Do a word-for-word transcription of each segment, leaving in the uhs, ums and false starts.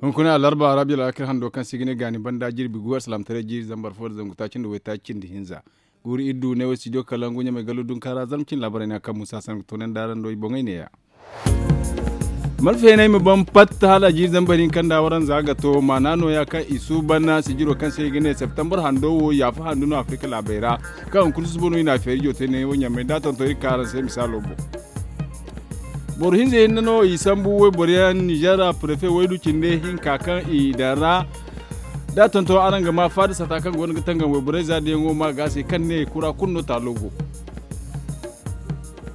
Hunkuna alarba rabiyo laakir hando kaŋ se i ga ne gaani banda jirbi gu alsalaamataray jiiri zambar fo nda zangu taaci nda waytaaci nda hinza. Guuru iri du ne wo studio kalangu ɲamay gallo dunkaara zalma cine laabaray no yaŋ kaŋ musa sangu toonandi araŋ do i boŋey neeya. Malfeyaney ma ban pat hala jiiri zambar hinka nda waranza ga to maana nooya kaŋ i suuban sijiro kaŋ se i ga ne septembar hando wo yaafa handu no afirika laabey ra. Kaŋ hunkuna susubo no i na a feeri jootey ne wo ɲamay da a tonton iri ka araŋ se misaalo boŋ. Boro hinza hinne no i sambu wayboro yaŋ nizeer ra prefe waydu cinde hinka kaŋ i daŋ ra. Da a tonton araŋ ga ma faada sata kaŋ go no ga tangam wayborey za da yaŋo ma ga se kaŋ ne kura kulu no taalo go.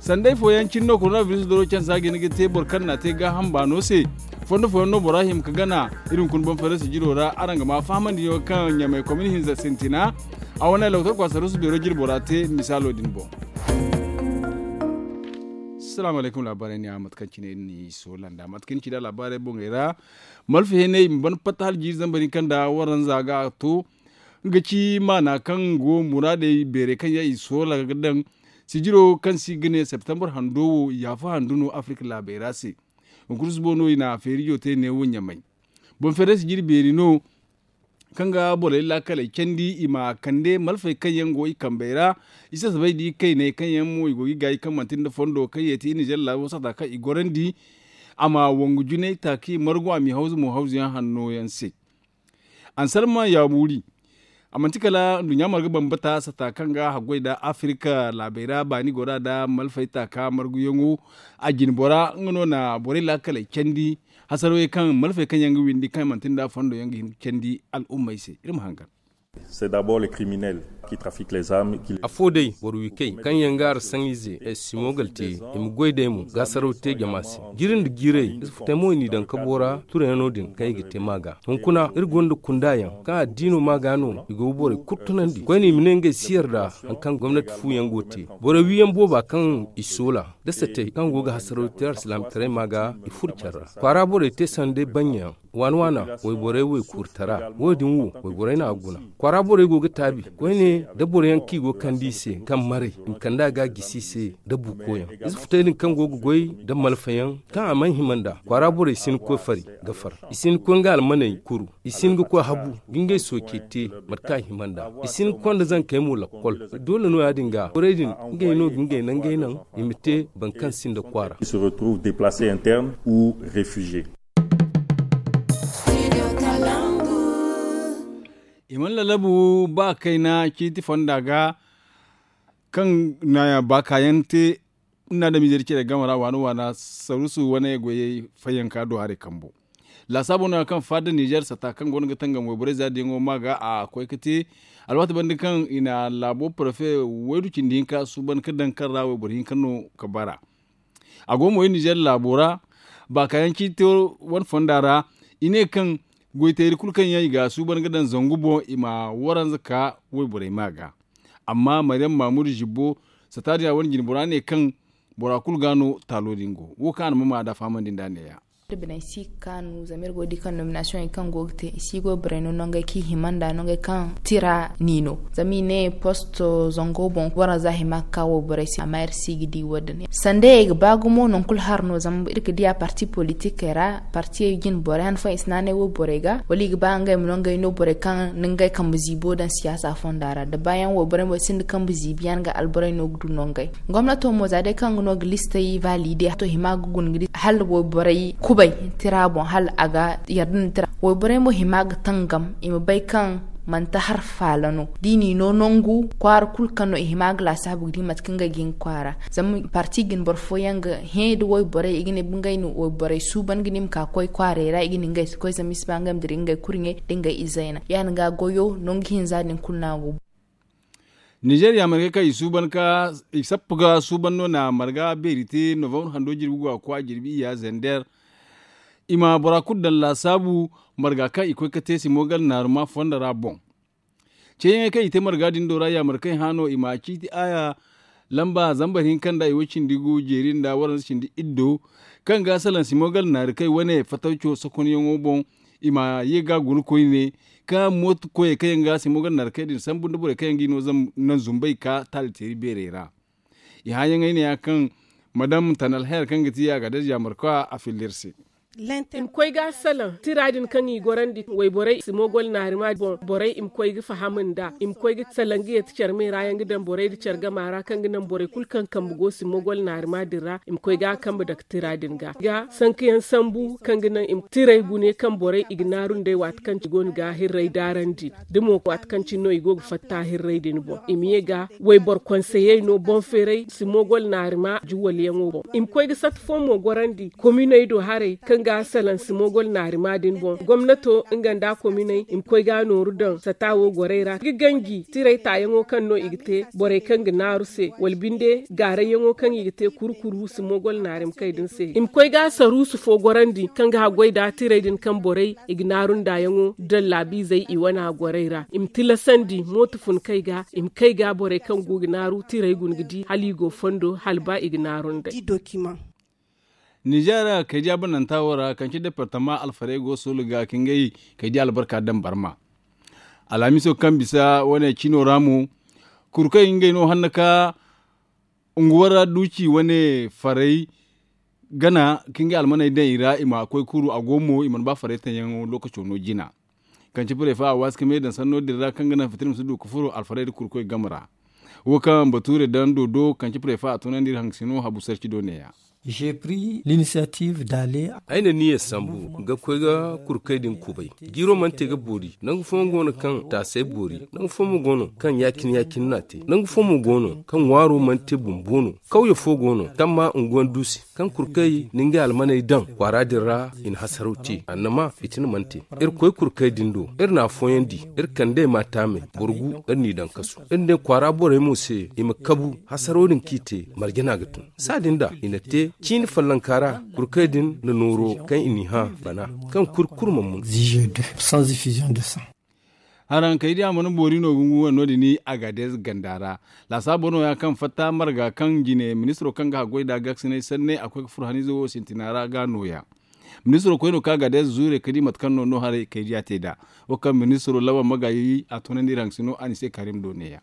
Sanday fooyaŋ cine no korona biris doro cansa ga hin ga te boro kaŋ na a te gaaham baano se. Fondo fooyaŋ no bora hima ga gana iri hunkuna boŋ feerasi jiro ra araŋ ga ma fahamandi yaŋo kaŋ ɲamay komini hinza sintina. A wane loktor kwasarusu beero jiri bora te misaalo din boŋ. Salaamu alaykum laabaarey ne a mate kaŋ cine iri n'i soola nda mate kaŋ iri ci nda laabaarey boŋey ra. Malfa heenay i ma ban patta hala jiiri zambar hinka nda waranza ga a to. Nga ci maana kaŋ go muraadey beerey kaŋ yaŋ i soola ga daŋ sijiro kaŋ se i ga ne septembar hando wo yaafa handu no afirika laabey ra se. Hunkuna susubo no i na feerijo te neewo ɲamay. Boŋ feerey sijiri beeri no kaŋ ga borey laakaley candi i ma kande malfey kaŋ yaŋ go i kambey ra. I sasabay da ikayney kaŋ yaŋ mo i go ga i gaayi kaŋ manti nda fondo kaŋ yeeti i nizeer laabo sata kaŋ i gorandi. A ma wangu junay taaki margu a m'i hawzu mo hawzuyaŋ hanno yaŋ se. Ansalma yaabuuri a manti kala nduɲɲa marga bambata sata kaŋ ga haggoy nda afirika laabey ra baani gora nda malfay taaka marguyaŋo. A jine bora nga no na borey laakaley candi. Hasarawey kaŋ malfey kaŋ yaŋ ga windi kaŋ manti nda fondo yaŋ ga hin ga candi al'ummey se iri ma hangan. Afo day boro wi kay kaŋ yaŋ ga ara saŋ ize ay simogal te i ma goy day mo ga saraw te jama se. Jiri nda jiiray ize futay mo i n'i daŋ kabo ra turayaŋo din kaŋ i ga te maaga. Hunkuna iri gonda kunda yaŋ kaŋ addiino maaga no i go ga borey kulu tunandi koyne i ma ne ngey si yarda hari kaŋ gomnati fu yaŋ go ga te. Borey wi yaŋ booba kaŋ i soola da satey kaŋ go ga hasaraw te alsilaamataray maaga i furo care ra. Kwaara borey te sanday baŋ yaŋ waana waana wayborey waykuuri tara wo- din wo wayborey no a ga guna. Kwaara borey go ga taabi koyne da boro yaŋ kaŋ i go ga kande i se kaŋ maray i ma kande a ga a gisi i se da buuko yaŋ. Ize futay din kaŋ go ga goy nda malfa yaŋ kaŋ a mana hima nd'a kwaara borey si hin ga koy fari ga far. I si hin ga koy nga almaney kuru. I si hin ga koy habu ga ngey soocey te mate kaŋ a hima nd'a. I si hin ga konda zankey mo lakkol. Doole no ya- din ga borey din ngey no ga ngey nangey naŋ i ma te boro kaŋ sinda kwaara. I mana lalabu ba kayna ciiti fonda ga kaŋ na baakayaŋ te. Ni na adamize da care game ra waana waana sarusu wane goyey fayyanka do haray kambo. Laasaabo no- ya kaŋ faada nizeer sata kaŋ go no ga tangam wayborey za diyaŋo ma ga a koy ga te. Alwaati banda kaŋ i na laabo parfe waydu cindi hinka suuban ga daŋ kaŋ ra wayboro hinka no ga bara. A go mo iri nizeer laabo ra baakayaŋ ciiti wane fonda ra. I ne kaŋ goytayri kulu kaŋ yaŋ i ga a suuban ga daŋ zangu boŋ i ma waranza ka wayborey ma ga. Amma maryam maamudu zibbo sata din a wane jinbora ne kaŋ bora kulu ga no taalo din go wo kaŋ a na ma ma da fahamandi nd'a ne- ya. Iri biney si ga kaanu zama iri go ga di kaŋ nominasiyoŋey kaŋ go ga te i si goy borey no nongey kaŋ i hima nd'a nongey kaŋ tira n'i no. Zama i ne posto zango boŋ waranza hima ga ka wayborey se amma iri si ga di wo- din. Sandayey ga ba gumo nangu kulu hari no zama iri ga di a parti politikey ra partiyey jine borey han fooyaŋ i si naanay wayborey ga wala i ga ba ngey ma no ngey no borey kaŋ na ngey kambe ziibo daŋ siyaasa fonda ra da baayaŋ wayborey mo sinda kambe ziibi yaŋ ga alborey no ga du nongey. Gomnato mo za day kaŋ ga no ga listey valide to hima ga guna ga di hala wayborey kubay tira boŋ hala a ga yarda nda tira. Wayborey mo hima ga tangam i ma bay kaŋ manti hari faala no da i n'i no nangu kwaara kulu kaŋ no i hima ga laasaabu ga di mate kaŋ ngey ga hin ga kwaara. Zama parti jine boro fooyaŋ ga hẽ nda wayborey i ga ne ngey na wayborey suuban ga ne i ma ka ga koy kwaarey ra i ga ne ngey si koy zama i si ba ngey ma dira ngey kurɲey nda ngey izey na ya- din ga goyo nangu hinza din kulu no a go. Nizeeriya margey kaŋ i suuban ka i sappa ga suuban no na marga beeri te novambar hando jirbi go a koy a jirbi iyya zender. I ma bora kulu daŋ laasaabu marga kaŋ i koy ga te simogal naaruma fondo ra boŋ. Ceeyaŋey kaŋ i te marga din do ra yaamar kaŋ i hã no i ma ciiti aya lamba zambar hinka nda i way cindi gu jeeri nda waranza cindi iddo kaŋ ga salaŋ simogal naari kay wane fatawco sokonyaŋo boŋ. I ma ye ga guna koyne ka mooto koyey kaŋ yaŋ ga simogal naari kay din sambu nda borey kaŋ yaŋ ga i no naŋ zumbay ka taali teeri beerey ra. I hãyaŋey ne ya kaŋ madam tanal her kaŋ ga ti a ga daza yaamar ka a filla iri se. I ma koy ga salaŋ tira din kaŋ i gorandi wayborey simogol naarima boŋ borey i ma koy ga faham nd'a i ma koy ga salaŋ ga yeeti care me ra yaŋ ga daŋ borey nda care gama ra kaŋ ga naŋ borey kulu kaŋ kambe go simogol naarima din ra i ma koy ga a kambe dake tira din ga ga sanka yaŋ sambu kaŋ ga naŋ i ma tirey gune kaŋ borey i ga naaru nd'ey waati kaŋ ci go no ga hirrey daarandi da mo waati kaŋ ci no i go ga fatta hirrey din boŋ i ma ye ga wayboro konseyey no boŋ feeray simogol naarima juwalyaŋo boŋ i ma koy ga sata fo mo gorandi kominey do haray kaŋ ga salaŋ simogol naarima din boŋ gomnato nga nda kominey i ma koy ga nooru daŋ sata wo gorey ra ga ganji tiray taayaŋo kaŋ no i ga te borey kaŋ ga naaru se wala binde gaarayyaŋo kaŋ i ga te kuru kuru simogol naarima kay din se i ma koy ga saruusu fo gorandi kaŋ ga haggoy nda tiray din kaŋ borey i ga naaru ndaayaŋo daŋ laabiizey i wana gorey ra i ma tilasandi mooto fun kay ga i ma kay ga borey kaŋ go ga naaru tiray guna ga di hala i go fondo hala ba i ga naaru nd'ey. Nizeer kay diya bananta wo ra kaŋ ci departama alfarey go soolu ga ka ngey kay diya albarka daŋ barma alhamiso kaŋ bisa wane cino ra mo kuru kaŋ ngey no hanna ka unguwar duuci wane farey gana ka ngey almaney daŋ i ra i ma koy kuru a go mo i mana ba farey taŋ yaŋo lookaco no jina kaŋ ci prefa a waasi ka me daŋ sanno din ra kaŋ ga naŋ fitina ma si du ka furo alfarey nda kurkoy game ra wo kaŋ bature daŋ dodo kaŋ ci prefa a tunandi iri haŋ ga si no habu sarci do ne- ya. Ay na niyyar sambu ga koy ga kurkey din kubay. Jiiro mana te ga boori nangu fooyaŋ go no kaŋ taasay boori nangu fooyaŋ mo go no kaŋ ya- cine ya- cine no a te nangu fooyaŋ mo go no kaŋ ŋwaaro mana te bumbo no kawye fo go no kaŋ ma unguwaŋ du se kaŋ kurkey na ngey almaney daŋ kwaara din ra i na hasaraw te annama fitina mana te. Iri koy kurkey din do iri na afooyaŋ di iri kand'ey ma taamey boro gu iri n'i daŋ kasu iri ne kwaara borey mo se i ma kabu hasaraw din kaŋ i te marje no a ga tun saadin da i na te ciini follonka ra kurkey din na nooro kaŋ i n'i hã bana kaŋ kuri kulu mana mun. Haraŋ kay diya mana boori no ga ngu wane no- din agades ganda ra laasaabo no- ya kaŋ fatta marga kaŋ jine ministiro kaŋ ga haggoy nd'a gaasinay sanney a koy ga furo haniize wo sintina ra ga no- ya ministiro koy no ka agades zuure ka di mate kaŋ no no haray kay diya te nd'a wo kaŋ ministiro laban magaayi a tunandi iri haŋ ga si no a ni se karim do ne- ya.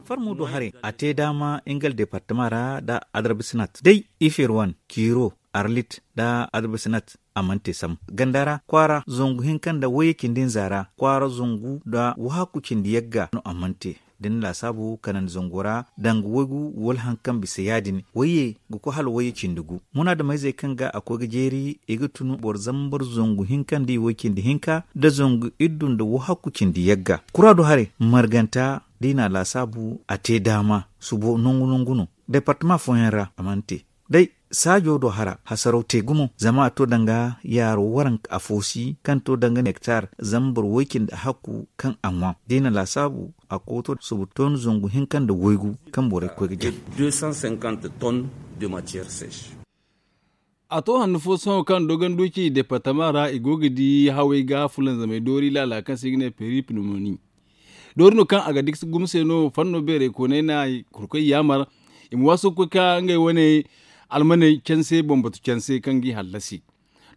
Farmo do haray a te daama nga nda departama ra nda adarba sinat day ifir wane kiiro arlit nda adarba sinat a mana te sam ganda ra kwaara zangu hinka nda wayye cindi hinza ra kwaara zangu nda wahakku cindi yagga no a mana te da ni laasaabu kanandi zango ra danga waygu wala hari kaŋ bisa ya- din wayye ga koy hala wayye cindi gu munaadameyzey kaŋ ga a koy ga jeeri i ga tun boro zambar zangu hinka nda i way cindi hinka nda zangu iddu nda wahakku cindi yagga kura do haray marganta da i na a laasaabu a te daama subo nangu nangu no departama fooyaŋ ra a mana te day saajo do hara hasaraw te gumo zama a to danga yaaro waranka afo si kaŋ to danga nektar zama boro way cindi hakku kaŋ a ŋwa da i na laasaabu a kooto subu tooni zangu hinka nda waygu kaŋ borey ga koy ga jare. A to handu fo sohõ kaŋ dogon duuci departama ra i go ga di hawey ga fulanzamey doori laala kaŋ se i ga ne peri pneumonie doori no kaŋ a ga dikse gumo se no fanno beerey kooney na kurkoy yaamar i ma waasu ga koy ka ngey wane almaney canse bambatu canse kaŋ g'i hallasi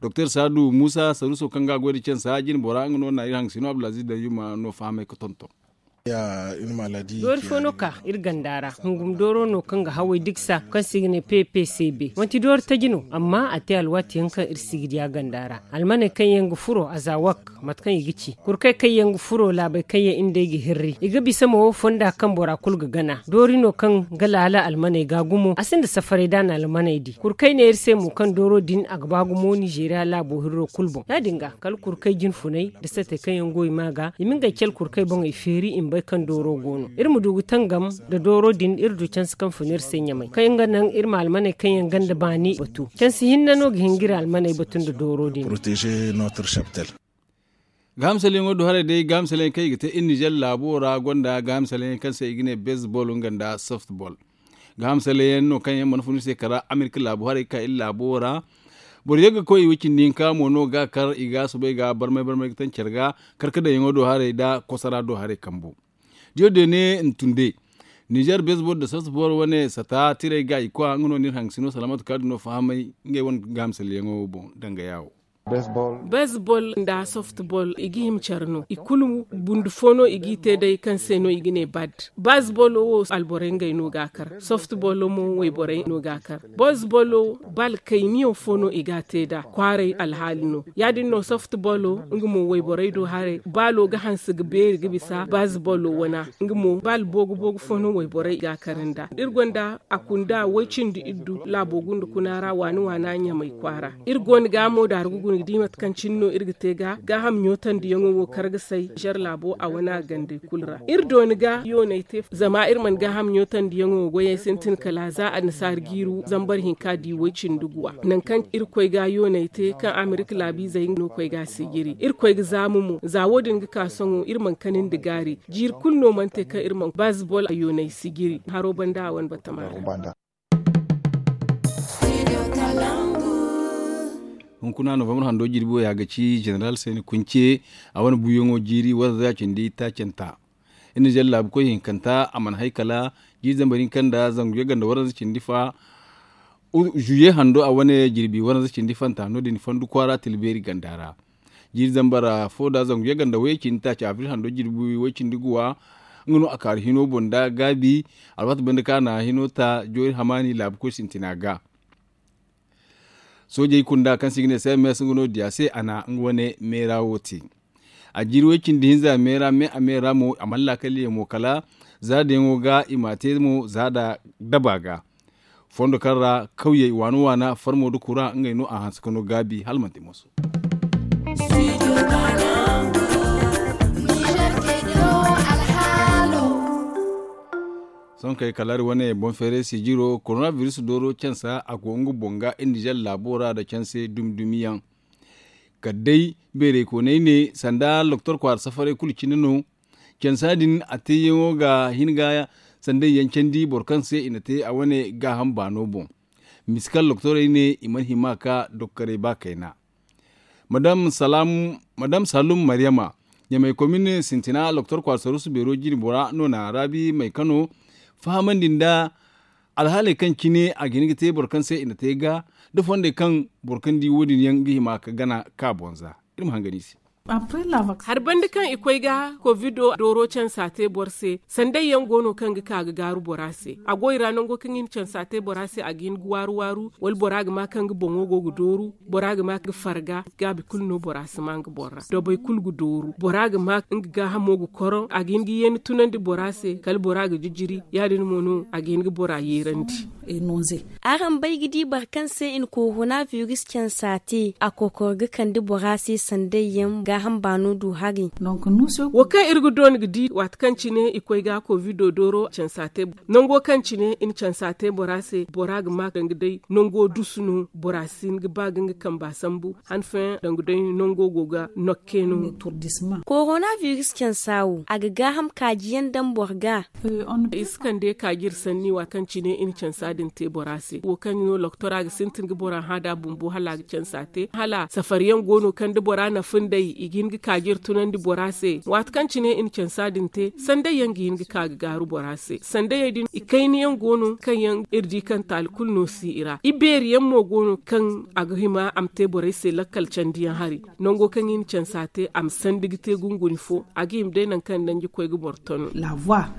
doktor saadu muusa saruuso kaŋ ga a goy nda cansa jine bora nga no na iri haŋ ga si no abdulaziz dayyuma no fahamay ga tonton. Doori fo no ka iri ganda ra hungum dooro no kaŋ ga haway diksa kaŋ se i ga ne ppcb manti doori taji no amma a te alwaati yaŋ kaŋ iri si ga di a ganda ra almaney kaŋ yaŋ ga furo a za wak mate kaŋ i ga ci kurkey kaŋ yaŋ ga furo laabey kaŋ yaŋ iri nd'ey ga hirri i ga bisa mo fonda kaŋ bora kulu ga gana doori no kaŋ ga laala almaney ga gumo a sinda safaray da a na almaney di kurkey ne iri se mo kaŋ dooro din a ga ba gumo nizeeriya laabo hirro kulu boŋ ya- din ga kala kurkey jinfuney nda satey kaŋ yaŋ go i ma ga i ma ngey cale kurkey boŋey feeri i ma bay kaŋ dooro go no iri ma du ga tangam nda dooro din iri du canse kaŋ fun iri se ɲamay kaŋ nga naŋ iri ma almaney kaŋ yaŋ ganda baani batu canse hinne no ga hin ga iri almaney batu nda dooro din. Gahamsalyaŋo do haray day gahamsalyaŋ kaŋ i ga te iri nizer laabo ra gonda gahamsalyaŋ kaŋ se i ga ne bezbol nga nda softbol gahamsalyaŋ no kaŋ yaŋ mana fun iri se kala amerika laabo haray ga ka iri laabo ra boro yaŋ ga koy i wo cindi hinka mo no ga kar i ga soobay ga barmay barmay ga taŋ care ga karkadayaŋo do haray nda kosara do haray kambu diyo deene ntunde nizer bezbol nda softbol wane sata tiray ga i kwa nga no ni iri haŋ ga si no salaamatu kaadu no fahamay ngey wane gahamsalyaŋo boŋ danga yaawo. Baseball nda softball i ga hima care no i kulu bundu fo no i g'i te day kaŋ se no i ga ne bad. Baseball wo alborey ngey no ga a kar. Softball mo wayborey no ga a kar. Baseball wo bal kayniyaŋ fo no i ga a te nd'a kwaaray alhaali no. Ya- din no softball nga mo wayborey do haray baalo ga hanse ga beeri ga bisa baseball wana. Nga mo bal boogu boogu fo no wayborey ga a kar nd'a. Iri gonda a kunda way cindi iddu laabo gunda kuna ra waani waana ɲamay kwaara. Iri go no ga mo daargu guna ga di mate kaŋ cine no iri ga te ga gaaham ɲootandiyaŋo wo kar ga say zar laabo a wane a gandey kulu ra. Iri dooni ga yooney te zama iri mana gaaham ɲootandiyaŋo wo goyey sintin kala za annasaari jiiri zambar hinka di way cindi guwa. Nangu kaŋ iri koy ga yooney te kaŋ amerika laabiizey no koy ga a si jiri iri koy ga zaamu mo za wo- din ga ka sohõ iri mana kani nda gaari. Jiiri kulu no mana te kaŋ iri mana baazibol a yooney si jiri haro banda a wane batama ra. Hunkuna novambar hando jirbi wo ya ga ci jeneral se ni kunce a wane buuyaŋo jiiri waranza cindi taacanta. Iri na zallaabu koy hinkanta a mana hay kala jiiri zambar hinka nda zangu yagga nda waranza cindi fa. Zuye hando a wane jirbi waranza cindi fanta no- din fandu kwaara tilbeeri ganda ra. Jiiri zambar fo nda zangu yagga nda way cindi taaci abril hando jirbi way cindi guwa. Nga no a kaaru hino boŋ nda gaabi alwaati banda kaŋ a na hino ta joori hamaani laabu koy sintina ga. Soojey kunda kaŋ se i ga ne cms nga no diya se a na nga wane meera wo te. A jiiri way cindi hinza meera me a meera mo a mana laakal yaŋ mo kala za dayaŋo ga i m'a te mo za da daba ga. Fondo kaŋ ra kawyey waana waana farmo nda kura ngey no a hanse ka no gaabi hala manti moso. Sohõ kay kala iri wane boŋ feeray sijiro korona biris dooro cansa a go nga boŋ ga iri nizer laabo ra nda canse dumi dumi yaŋ. Kala day beerey koonay ne sanda doktor kwaara safaray kulu cine no. Cansa din a teeyaŋo ga hin ga sanday yaŋ candi boro kaŋ se i na te a wane gaaham baano boŋ. Misikal doktorey ne i mana hima ka doktorey ba kayna. Madam salum maryama ɲamay komin sintina doktor kwaara sarusu beero jine bora no na raabi may kano fahamandi nda alhaaley kaŋ cine a ga hin ga te boro kaŋ se i na te ga da fondey kaŋ boro kaŋ di wo- din yaŋ ga hima ka gana ka boŋ za. Iri ma hangan i se. Hari banda kaŋ i koy ga kovido dooro cansa te boro se sanday yaŋ go no kaŋ ga ka ga gaaru bora se a go i ra nango kaŋ i na cansa te bora se a ga hin ga waaru waaru wala bora ga ma kaŋ ga boŋo go ga dooru bora ga ma ga farga gaabi kulu no bora si ma nga boŋ ra dabay kulu ga dooru bora ga ma nga gaahamo ga koroŋ a ga hin ga yeeni tunandi bora se kala bora ga jijiri ya- din mo no a ga hin ga bora yeerandi. Araŋ bay ga di boro kaŋ se i na korona biris cansa te a kokor ga kande bora se sanday yaŋ gaaham baano du hari. Wo kaŋ iri ga doona ga di waati kaŋ cine i koy ga kovido dooro cansa te nango kaŋ cine i na cansa te bora se bora ga ma danga day nango dusu no bora si hin ga ba ga nga kamba sambu han fooyaŋ danga day nango go ga nokke no. Korona biris cansa wo a ga gaaham kaaji yaŋ daŋ boro ga. I si kande kaaji iri sanni waati kaŋ cine i na cansa din te bora se wo kaŋ no doktora ga sintin ga bora hã da bumbo hala a ga cansa te hala safari yaŋ go no kaŋ da bora na funday i ga hin ga kaaji iri tunandi bora se waati kaŋ cine i na cansa din te sanday yaŋ ga hin ga ka ga gaaru bora se sandayey din i kayna yaŋ go no kaŋ yaŋ iri di kaŋ taali kulu no si i ra i beeri yaŋ mo go no kaŋ a ga hima a ma te borey se lakkal candi yaŋ hari. Nango kaŋ i na cansa te a ma sandi ga te gunguni fo a ga hima day nangu kaŋ danji koy ga boro tanu.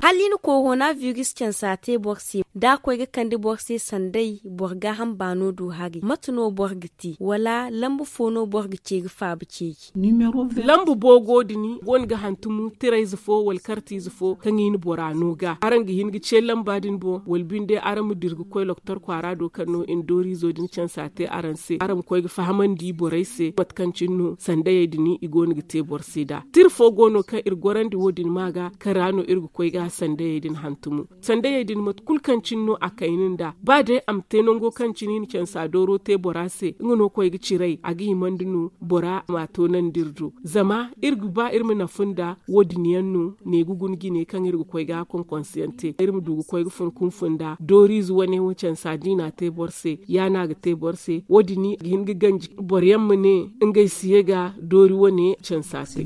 Hala i na korona biris cansa te boro se da a koy ga kande boro se sanday boro gaaham baano du hari mate no boro ga te wala lambu fo no boro ga ceeri faaba ceeri? Lambu boogo din go no ga hantumu tirayze fo wala kartize fo kaŋ i na bora no ga araŋ ga hin ga ce lamba din boŋ wala binde araŋ ma dira ga koy doktor kwaara do kaŋ no i na dooriizo din cansa te araŋ se araŋ ma koy ga fahamandi borey se mate kaŋ cine no sandayey din i go no ga te boro se nd'a tira fo go no kaŋ iri gorandi wo- din ma ga kaŋ ra no iri ga koy ga sandayey din hantumu. Sandayey din mate kulu kaŋ cine no a kayna nd'a ba day a ma te nango kaŋ cine i na cansa dooro te bora se nga no koy ga ciray a ga himandi no bora ma a toonandi iri do zama iri ga ba iri ma nafa nda wo- din yaŋ no ne ga guna jine kaŋ iri ga koy ga konkonse yaŋ te iri ma du ga koy ga fun kunfun nda dooriize wane wo cansa diina te boro se ya no a ga te boro se wo- din ga hin ga ganji boro yaŋ ma ne ngey si ye ga doori wane cansa se.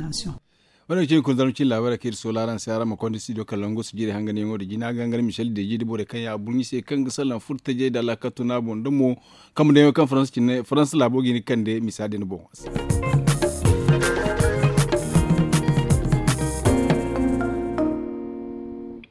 Wane cine kulu zarma cine laabaarey kaŋ iri soola araŋ se araŋ ma konda studio kalangu su jiirey hanganyaŋo nda jina gangar michel deji nda borey kaŋ yaŋ a burɲi se kaŋ ga salaŋ furtajey nda alaakatu no a boŋ nda mo kambe daŋyaŋo kaŋ faransa cine faransa laabo ga hin ga kande misa din boŋ.